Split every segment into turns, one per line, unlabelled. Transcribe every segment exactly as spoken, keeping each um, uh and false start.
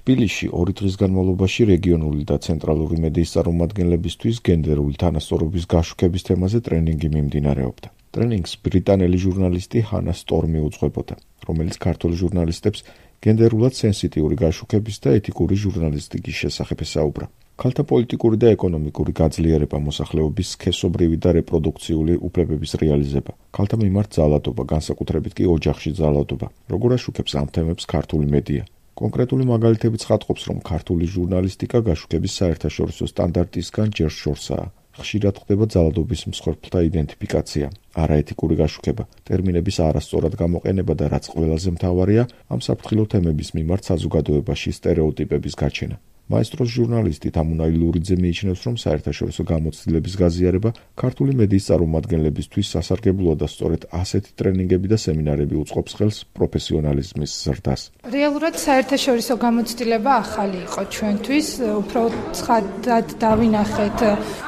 თბილისში ორი დღის განმავლობაში რეგიონული და ცენტრალური მედიის წარმომადგენლებისთვის გენდერული თანასწორობის გაშუქების თემაზე ტრენინგი მიმდინარეობდა. ტრენინგს ბრიტანელი ჟურნალისტი ჰანა სტორმი უძღვებოდა, რომელიც ქართული ჟურნალისტებს გენდერულად სენსიტიური გაშუქების და ეთიკური ჟურნალისტიკის შესახებ ესაუბრა. ქალთა პოლიტიკური და ეკონომიკური გაძლიერება, მოსახლეობის სქესობრივი და რეპროდუქციული უფლებების რეალიზება, ქალთა მიმართ ძალადობა, განსაკუთრებით კი ოჯახში ძალადობა, როგორ აშუქებს ამ თემებს ქართული მედია. კონკრეტული მაგალითებიც ხატყობს, რომ ქართული ჟურნალისტიკა გაშუქების საერთაშორისო სტანდარტისგან ჯერ შორსაა. ხშირად ხდება ძალადობის მსხვერპლთა იდენტიფიკაცია, არაეთიკური გაშუქება, ტერმინების არასწორად გამოყენება და რაც ყველაზე მთავარია, ამ საფრთხილო თემების მიმართ საზოგადოებაში სტერეოტიპების გაჩენა. მაესტროს ჟურნალისტი თამუნა ილურიძე მიიჩნევს, რომ საერთაშორისო გამოცდილების გაზიარება ქართული მედიის წარმომადგენლებისთვის სასარგებლოა და სწორედ ასეთი ტრენინგები და სემინარები უწყობს ხელს პროფესიონალიზმის ზრდას.
რეალურად საერთაშორისო გამოცდილება ახალი იყო ჩვენთვის, უფრო ცხადად დავინახეთ,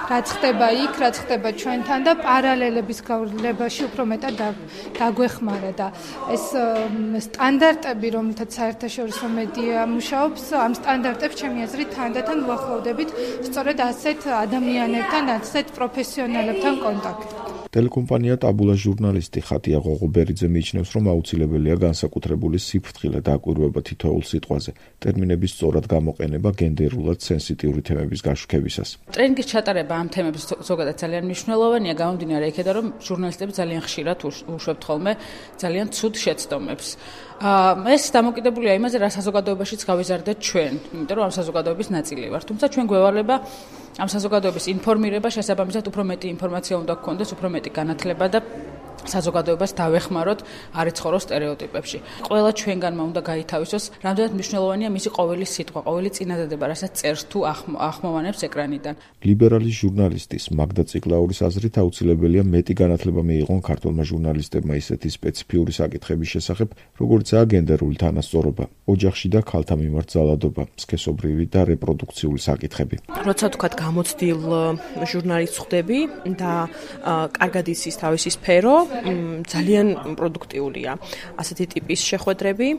რაც ხდება იქ, რაც ხდება ჩვენთან და პარალელების გავლებაში უფრო მეტად დაგვეხმარა და ეს სტანდარტები, რომელთაც საერთაშორისო მედია მუშაობს, ამ სტანდარტებს ჩემი აზრით თანდათან უახლოვდებით სწორედ ასეთ ადამიანებთან, ასეთ პროფესიონალებთან კონტაქტი.
ტელეკომპანია ტაბულა ჟურნალისტი ხატია ღოღობერიძე მიიჩნევს, რომ აუცილებელია განსაკუთრებული სიფრთხილე დაკვირვება თითოეულ სიტყვაზე, ტერმინების სწორად გამოყენება გენდერულად სენსიტიური თემების გაშუქებისას.
ტრენინგის ჩატარება ამ თემების ზოგადად ძალიან მნიშვნელოვანია, გამომდინარე იქედან, რომ ჟურნალისტები ძალიან ხშირად უშვებთ ხოლმე ძალიან ცუდ შეცდომებს. ეს დამოკიდებულია იმაზე, რა საზოგადოებაშიც გავიზარდეთ ჩვენ, იმიტომ რომ ამ საზოგადოების ნაწილი ვართ. თუმცა ჩვენ გვევალება ამ საზოგადოების ინფორმირება, შესაბამისად უფრო მეტი ინფორმაცია უნდა გქონდეს, უფრო მეტი განათლება და საზოგადოებას დავეხმაროთ არ იცხოვროს სტერეოტიპებში. ყველა ჩვენგანმა უნდა გაითავისოს, რამდენად მნიშვნელოვანია მისი ყოველი სიტყვა, ყოველი წინადადება, რასაც წერს თუ ახმოვანებს ეკრანიდან.
ლიბერალი ჟურნალისტის მაგდა ციკლაურის აზრით აუცილებელია მეტი განათლება მიიღონ ქართულმა ჟურნალისტებმა ისეთი სპეციფიური საკითხების შესახებ, როგორიცაა გენდერული თანასწორობა, ოჯახში და ქალთა მიმართ ძალადობა, სქესობრივი და რეპროდუქციული საკითხები.
როცა თქვათ გამოცდილ ჟურნალისტს ხვდები და კარგად იცის თავისი სფერო, ძალიან პროდუქტიულია ასეთი ტიპის შეხვედრები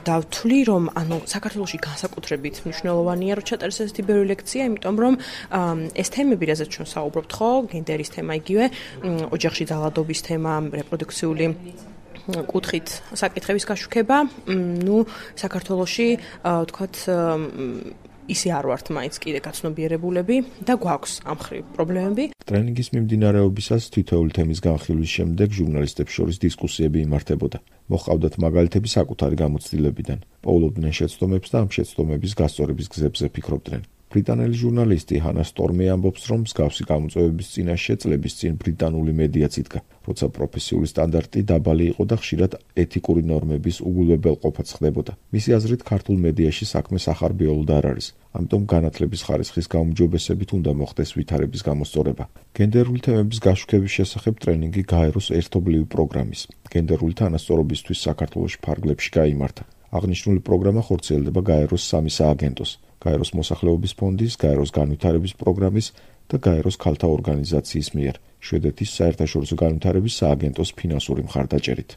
და ვთვლი, რომ ანუ საქართველოში განსაკუთრებით მნიშვნელოვანია, რომ ჩატარდეს ესეთი ბევრი ლექცია, იმიტომ რომ ეს თემები, რაზეც ჩვენ საუბრობთ, ხო, გენდერის თემა იგივე, ოჯახში ძალადობის თემა, რეპროდუქციული კუთხით საკითხების გაშუქება, ნუ საქართველოში ვთქვათ ისე არ ვართ მაინც კიდე გაცნობიერებულები და გვაქვს ამ მხრივ პრობლემები.
ტრენინგის მიმდინარეობისას თითოეული თემის განხილვის შემდეგ ჟურნალისტებს შორის დისკუსიები იმართებოდა. მოჰყავდათ მაგალითები საკუთარი გამოცდილებიდან, პოულობდნენ შეცდომებს და ამ შეცდომების გასწორების გზებზე ფიქრობდნენ. ბრიტანელი ჟურნალისტი ჰანა სტორმი ამბობს, რომ მსგავსი გამოწვევების წინაშე წლების წინ ბრიტანული მედიაც იდგა, როცა პროფესიული სტანდარტი დაბალი იყო და ხშირად ეთიკური ნორმების უგულებელყოფაც ხდებოდა. მისი აზრით, ქართულ მედიაში საქმე სახარბიელოდ არ არის, ამიტომ განათლების ხარისხის გაუმჯობესებით უნდა მოხდეს ვითარების გამოსწორება. გენდერული თემების გაშუქების შესახებ ტრენინგი გაეროს ერთობლივი პროგრამის, გენდერული თანასწორობისთვის საქართველოს ფარგლებში გაიმართა. აღნიშნული პროგრამა ხორციელდება გაეროს სამი სააგენტოს, გაეროს მოსახლეობის ფონდის, გაეროს განვითარების პროგრამის და გაეროს ქალთა ორგანიზაციის მიერ, შვედეთის საერთაშორისო განვითარების სააგენტოს ფინანსური მხარდაჭერით.